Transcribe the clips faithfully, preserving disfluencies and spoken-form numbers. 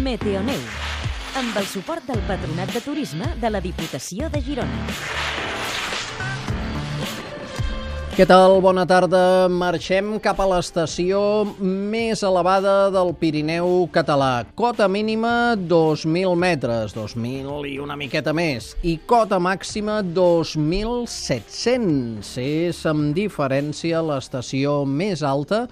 Meteoneu, amb el suport del Patronat de Turisme de la Diputació de Girona. Què tal? Bona tarda. Marxem cap a l'estació més elevada del Pirineu català. Cota mínima dos mil metres, dos mil i una miqueta més. I cota màxima dos mil set-cents. És amb diferència l'estació més alta,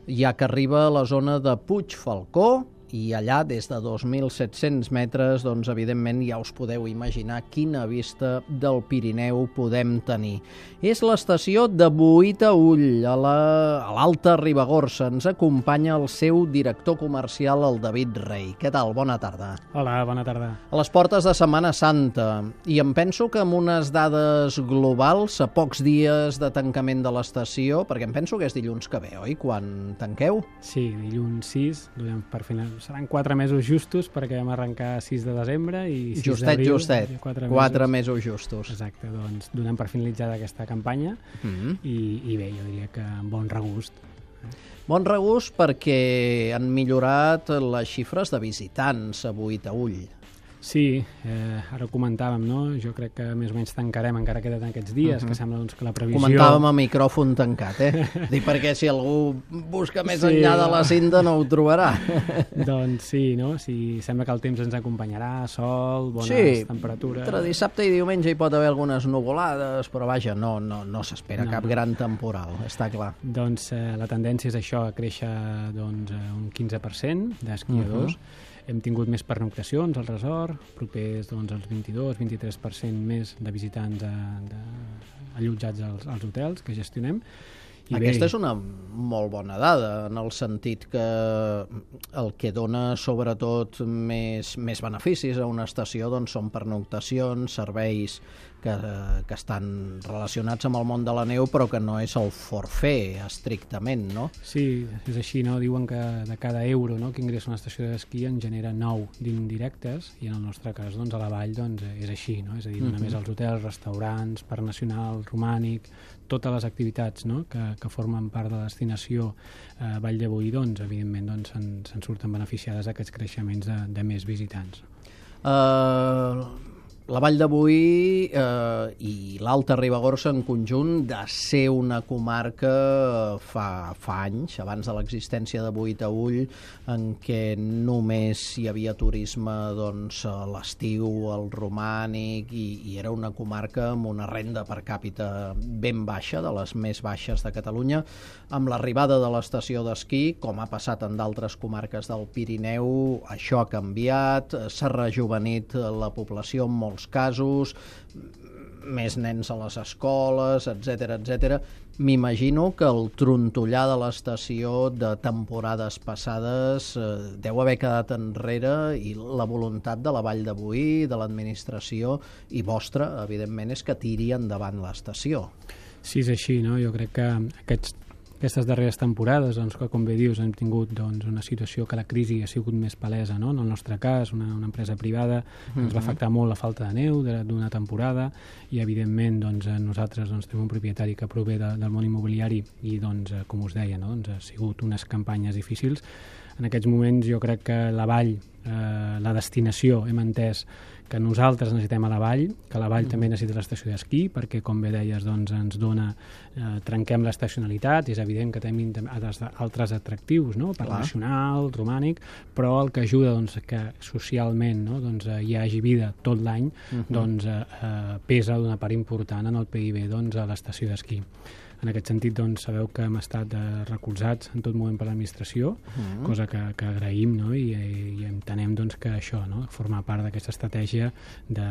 ja que arriba a la zona de Puigfalcó, i allà, des de dos mil set-cents metres, doncs, evidentment, ja us podeu imaginar quina vista del Pirineu podem tenir. És l'estació de Boí-Taüll, a l'Alta Ribagorça. Ens acompanya el seu director comercial, el David Rey. Què tal? Bona tarda. Hola, bona tarda. A les portes de Setmana Santa, i em penso que amb unes dades globals, a pocs dies de tancament de l'estació, perquè em penso que és dilluns que ve, oi? Quan tanqueu? Sí, dilluns sis, donem per final. Seran quatre mesos justos perquè vam arrencar sis de desembre i sis justet, d'abril. Justet, justet. Quatre mesos justos. Exacte, doncs donem per finalitzada aquesta campanya mm-hmm. i, i bé, jo diria que amb bon regust. Bon regust perquè han millorat les xifres de visitants a Boí-Taüll. Sí, eh, ara ho comentàvem, no? Jo crec que més o menys tancarem, encara queden aquests dies, uh-huh. que sembla doncs, que la previsió... Comentàvem a micròfon tancat, eh? Dic perquè si algú busca més sí, enllà de la cinta no ho trobarà. Doncs sí, no? Sí, sembla que el temps ens acompanyarà, sol, bones sí, temperatures... Entre dissabte i diumenge hi pot haver algunes nuvolades, però vaja, no, no, no s'espera no, cap no. gran temporal, està clar. Doncs eh, la tendència és això, a créixer doncs, un quinze per cent d'esquiadors. Uh-huh. Hem tingut més pernoctacions al resort, propers doncs, als vint-i-dos a vint-i-tres per cent més de visitants a, de, allotjats als, als hotels que gestionem. I aquesta bé, és una molt bona dada, en el sentit que el que dona sobretot més, més beneficis a una estació doncs, són pernoctacions, serveis que, que estan relacionats amb el món de la neu, però que no és el forfait estrictament, no? Sí, és així, no? Diuen que de cada euro no, que ingressa una estació d'esquí en genera nou d'indirectes, i en el nostre cas doncs, a la vall doncs, és així, no? És a dir, mm-hmm. només els hotels, restaurants, parc nacional, romànic, totes les activitats no? que, que formen part de la destinació eh, Vall de Boí, doncs, evidentment, doncs, se'n, se'n surten beneficiades aquests creixements de, de més visitants. Uh... La Vall de Boí eh, i l'Alta Ribagorça en conjunt de ser una comarca fa, fa anys, abans de l'existència de Boí-Taüll, en què només hi havia turisme doncs, a l'estiu, al romànic, i, i era una comarca amb una renda per càpita ben baixa, de les més baixes de Catalunya. Amb l'arribada de l'estació d'esquí, com ha passat en d'altres comarques del Pirineu, això ha canviat, s'ha rejuvenit la població en molts casos, més nens a les escoles, etcètera, etcètera. M'imagino que el trontollar de l'estació de temporades passades eh, deu haver quedat enrere, i la voluntat de la Vall de Boí, de l'administració i vostra, evidentment, és que tiri endavant l'estació. Sí, és així, no? Jo crec que aquests Aquestes darreres temporades, doncs, que com bé dius, hem tingut doncs, una situació que la crisi ha sigut més palesa, no? En el nostre cas, una, una empresa privada, mm-hmm. ens va afectar molt la falta de neu d'una temporada, i evidentment doncs, nosaltres doncs, tenim un propietari que prové de, del món immobiliari i, doncs, com us deia, no? doncs, ha sigut unes campanyes difícils. En aquests moments jo crec que la vall, eh, la destinació, hem entès que nosaltres necessitem a la vall, que la vall mm. també necessita l'estació d'esquí, perquè, com bé deies, doncs, ens dona, eh, trenquem l'estacionalitat, és evident que tenim altres atractius, no? Parc nacional, romànic, però el que ajuda doncs, que socialment no? doncs, hi hagi vida tot l'any, mm-hmm. doncs, eh, pesa d'una part important en el P I B doncs, a l'estació d'esquí. En aquest sentit, doncs, sabeu que hem estat eh, recolzats en tot moment per l'administració, mm. cosa que, que agraïm, no? I, i entenem doncs, que això no? forma part d'aquesta estratègia de,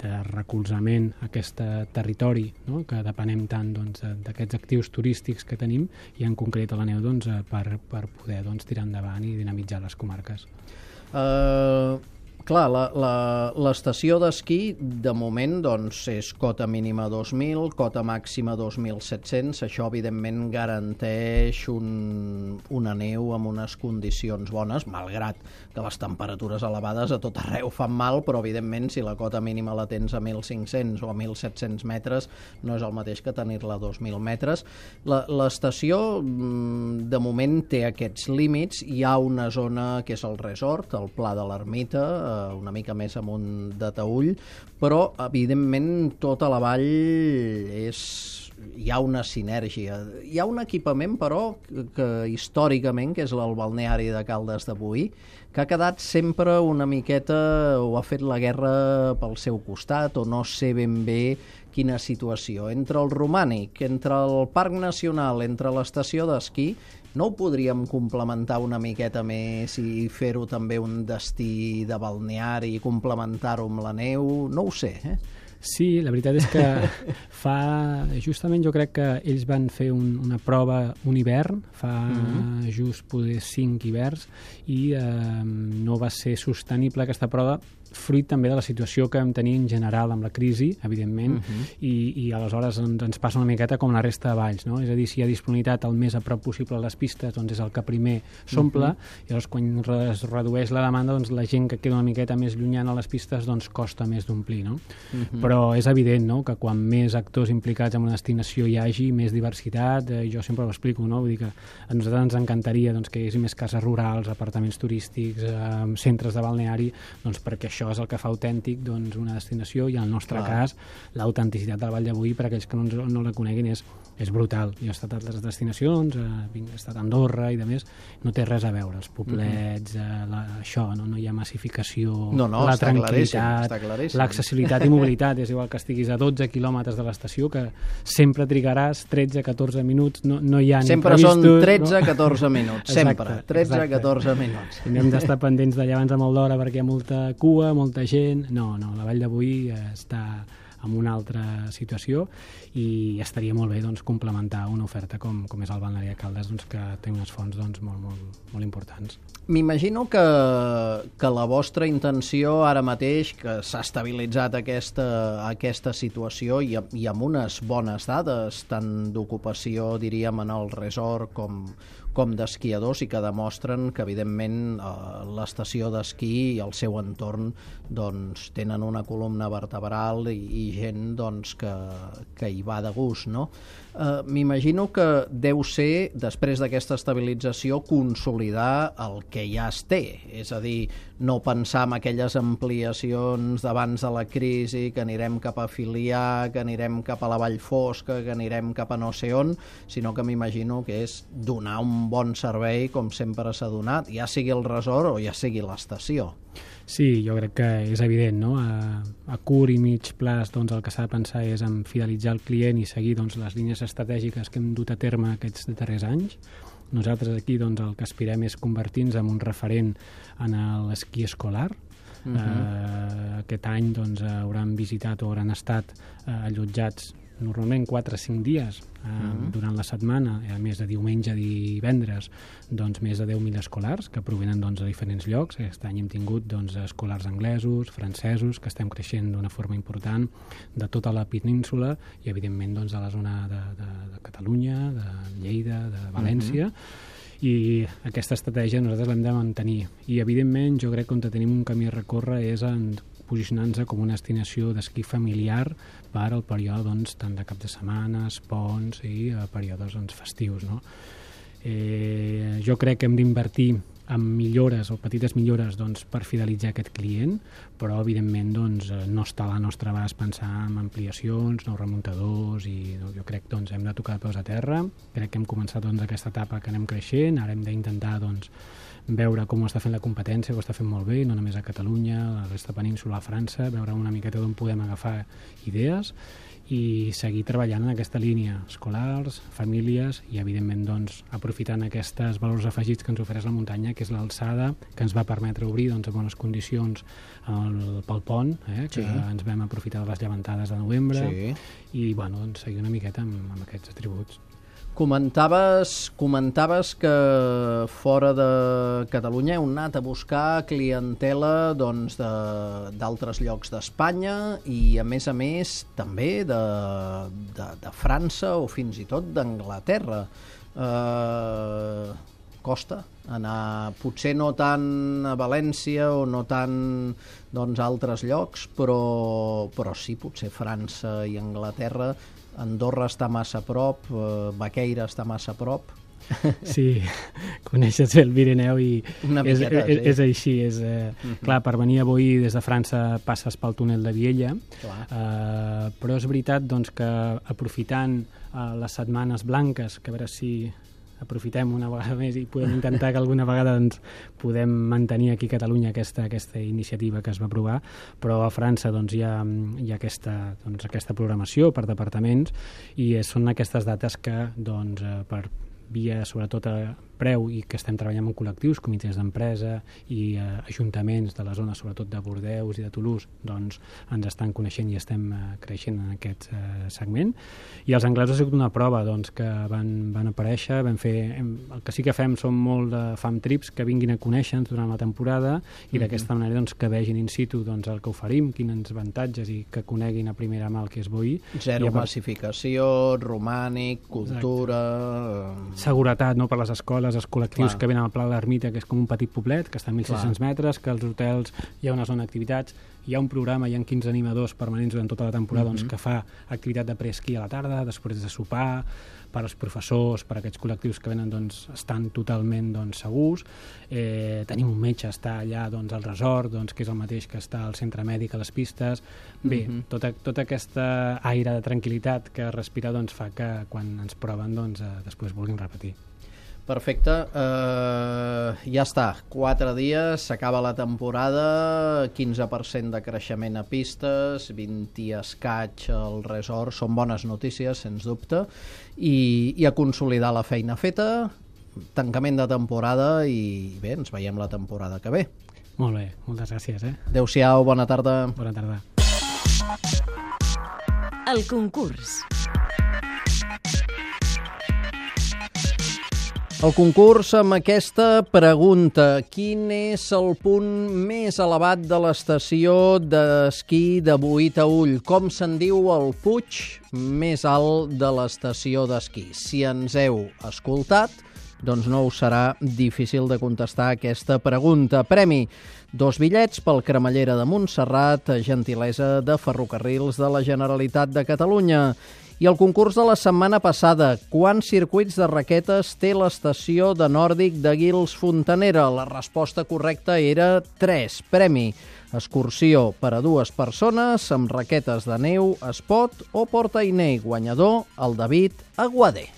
de recolzament a aquest territori, no? que depenem tant doncs, d'aquests actius turístics que tenim, i en concret a la neu doncs, per, per poder doncs, tirar endavant i dinamitzar les comarques. Uh... Clar, l'estació d'esquí, de moment, doncs, és cota mínima dos mil, cota màxima dos mil set-cents. Això, evidentment, garanteix un, una neu amb unes condicions bones, malgrat que les temperatures elevades a tot arreu fan mal, però, evidentment, si la cota mínima la tens a mil cinc-cents o a mil set-cents metres, no és el mateix que tenir-la a dos mil metres. L'estació, de moment, té aquests límits. Hi ha una zona que és el resort, el Pla de l'Ermita, una mica més amunt de Taüll, però, evidentment, tota la vall és... hi ha una sinergia. Hi ha un equipament, però, que, que històricament, que és el balneari de Caldes de Boí, que ha quedat sempre una miqueta, o ha fet la guerra pel seu costat, o no sé ben bé quina situació. Entre el romànic, entre el Parc Nacional, entre l'estació d'esquí, no ho podríem complementar una miqueta més i fer-ho també un destí de balneari i complementar-ho amb la neu? No ho sé, eh? Sí, la veritat és que fa... Justament jo crec que ells van fer un, una prova un hivern, fa mm-hmm. just poder cinc hiverns, i eh, no va ser sostenible aquesta prova, fruit també de la situació que vam tenir en general amb la crisi, evidentment, uh-huh. i, i aleshores ens, ens passa una miqueta com la resta de valls, no? És a dir, si hi ha disponibilitat el més a prop possible a les pistes, doncs és el que primer s'omple, uh-huh. i llavors quan es redueix la demanda, doncs la gent que queda una miqueta més llunyana a les pistes, doncs costa més d'omplir, no? Uh-huh. Però és evident, no?, que quan més actors implicats en una destinació hi hagi, més diversitat, eh, jo sempre ho explico, no? Vull dir que a nosaltres ens encantaria, doncs, que hi hagués més cases rurals, apartaments turístics, eh, centres de balneari, doncs perquè això és el que fa autèntic, doncs, una destinació, i en el nostre Clar. cas l'autenticitat del Vall de Boí, per aquells que no, no la coneguin, és, és brutal. Jo he estat a altres destinacions, eh, he estat a Andorra i de més, no té res a veure, els poblets, mm-hmm. eh, la, això, no, no hi ha massificació, no, no, la està tranquil·litat, claríssim, l'accessibilitat i mobilitat, és igual que estiguis a dotze quilòmetres de l'estació, que sempre trigaràs tretze a catorze minuts, no, no hi ha sempre ni previstos, són tretze a catorze no? minuts, sempre, exacte, tretze a exacte. catorze minuts. I hem d'estar pendents d'allà abans de molt d'hora perquè hi ha molta cua, molta gent. No, no, la Vall de Boí està en una altra situació i estaria molt bé, doncs, complementar una oferta com, com és el balneari de Caldes, doncs, que té unes fonts, doncs, molt, molt, molt importants. M'imagino que, que la vostra intenció ara mateix, que s'ha estabilitzat aquesta, aquesta situació i, i amb unes bones dades, tant d'ocupació, diríem, en el resort com, com d'esquiadors, i que demostren que, evidentment, l'estació d'esquí i el seu entorn, doncs, tenen una columna vertebral i, i gent, doncs, que, que hi va de gust, no? Uh, m'imagino que deu ser, després d'aquesta estabilització, consolidar el que ja es té, és a dir, no pensar en aquelles ampliacions d'abans de la crisi, que anirem cap a Filià, que anirem cap a la Vall Fosca, que anirem cap a no sé on, sinó que m'imagino que és donar un bon servei com sempre s'ha donat, ja sigui el resort o ja sigui l'estació. Sí, jo crec que és evident, no? A, a curt i mig plaç, doncs, el que s'ha de pensar és en fidelitzar el client i seguir, doncs, les línies estratègiques que hem dut a terme aquests darrers anys. Nosaltres aquí, doncs, el que aspirem és convertir-nos en un referent en l'esquí escolar. Uh-huh. eh, aquest any, doncs, hauran visitat o hauran estat eh, allotjats normalment quatre a cinc dies eh, uh-huh. durant la setmana, a més de diumenge i divendres, doncs més de deu mil escolars que provenen, doncs, de diferents llocs. Aquest any hem tingut, doncs, escolars anglesos, francesos, que estem creixent d'una forma important, de tota la península i, evidentment, doncs, de la zona de, de, de Catalunya, de Lleida, de València. Uh-huh. I aquesta estratègia nosaltres l'hem de mantenir. I, evidentment, jo crec que on tenim un camí a recórrer és en posicionant-se com una destinació d'esquí familiar per al període, doncs, tant de cap de setmanes, ponts i eh, períodes, doncs, festius, no? Eh, jo crec que hem d'invertir en millores o petites millores, doncs, per fidelitzar aquest client, però, evidentment, doncs, no està a la nostra abast pensar en ampliacions, nous remuntadors, i no, jo crec que, doncs, hem de tocar de peus a terra. Crec que hem començat, doncs, aquesta etapa que anem creixent, ara hem d'intentar, doncs, veure com ho està fent la competència, que ho està fent molt bé, no només a Catalunya, a la resta península, a França, veure una miqueta d'on podem agafar idees i seguir treballant en aquesta línia, escolars, famílies i, evidentment, doncs, aprofitant aquests valors afegits que ens ofereix la muntanya, que és l'alçada, que ens va permetre obrir, doncs, a bones condicions el, pel pont, eh, que sí. ens vam aprofitar de les llevantades de novembre, sí. i, bueno, doncs, seguir una miqueta amb, amb aquests atributs. Comentaves, comentaves que fora de Catalunya heu anat a buscar clientela doncs, d'altres llocs d'Espanya i, a més a més, també de, de, de França o fins i tot d'Anglaterra. Eh, costa anar, potser no tant a València o no tant doncs, a altres llocs, però, però sí, potser França i Anglaterra. Andorra està massa a prop, eh, Baqueira està massa a prop. Sí, coneixes el Pirineu i Una és, miqueta, és, sí. és així. És, eh, uh-huh. Clar, per venir a Boí des de França passes pel túnel de Viella, eh, però és veritat doncs, que aprofitant eh, les setmanes blanques, que a veure si aprofitem una vegada més i podem intentar que alguna vegada doncs, podem mantenir aquí a Catalunya aquesta, aquesta iniciativa que es va aprovar, però a França doncs, hi ha, hi ha aquesta, doncs, aquesta programació per departaments i són aquestes dates que doncs, per via sobretot a preu i que estem treballant amb col·lectius, comitès d'empresa i eh, ajuntaments de la zona, sobretot de Bordeus i de Toulouse, doncs ens estan coneixent i estem eh, creixent en aquest eh, segment. I els anglesos ha sigut una prova doncs, que van, van aparèixer, vam fer, hem, el que sí que fem són molt de fam trips que vinguin a conèixer-nos durant la temporada i mm-hmm. d'aquesta manera doncs, que vegin in situ doncs, el que oferim, quins avantatges i que coneguin a primera mà el que és Boí. Zero part... massificació, romànic, cultura... Exacte. Seguretat, no?, per les escoles, els col·lectius Clar. Que venen al Pla de l'Ermita, que és com un petit poblet, que està a mil sis-cents metres, que als hotels hi ha una zona d'activitats, hi ha un programa, hi ha quinze animadors permanents durant tota la temporada mm-hmm. doncs, que fa activitat de preesquí a la tarda, després de sopar, per als professors, per a aquests col·lectius que venen, doncs, estan totalment doncs, segurs. Eh, tenim un metge, està allà doncs, al resort, doncs, que és el mateix que està al centre mèdic, a les pistes. Bé, mm-hmm. tota, tota aquesta aire de tranquil·litat que respira doncs, fa que quan ens proven doncs, eh, després vulguin repetir. Perfecte, uh, ja està, quatre dies, s'acaba la temporada, quinze per cent de creixement a pistes, vint i escaig al resort, són bones notícies, sens dubte, i, i a consolidar la feina feta, tancament de temporada i bé, ens veiem la temporada que ve. Molt bé, moltes gràcies. Eh? Adéu-siau, bona tarda. Bona tarda. El concurs. El concurs amb aquesta pregunta: quin és el punt més elevat de l'estació d'esquí de Boí-Taüll? Com se'n diu el puig més alt de l'estació d'esquí? Si ens heu escoltat, doncs no us serà difícil de contestar aquesta pregunta. Premi: dos bitllets pel Cremallera de Montserrat, gentilesa de Ferrocarrils de la Generalitat de Catalunya. I el concurs de la setmana passada: quants circuits de raquetes té l'estació de Nòrdic de Guils-Fontanera? La resposta correcta era tres. Premi: excursió per a dues persones amb raquetes de neu, espot o portainer. Guanyador: el David Aguadé.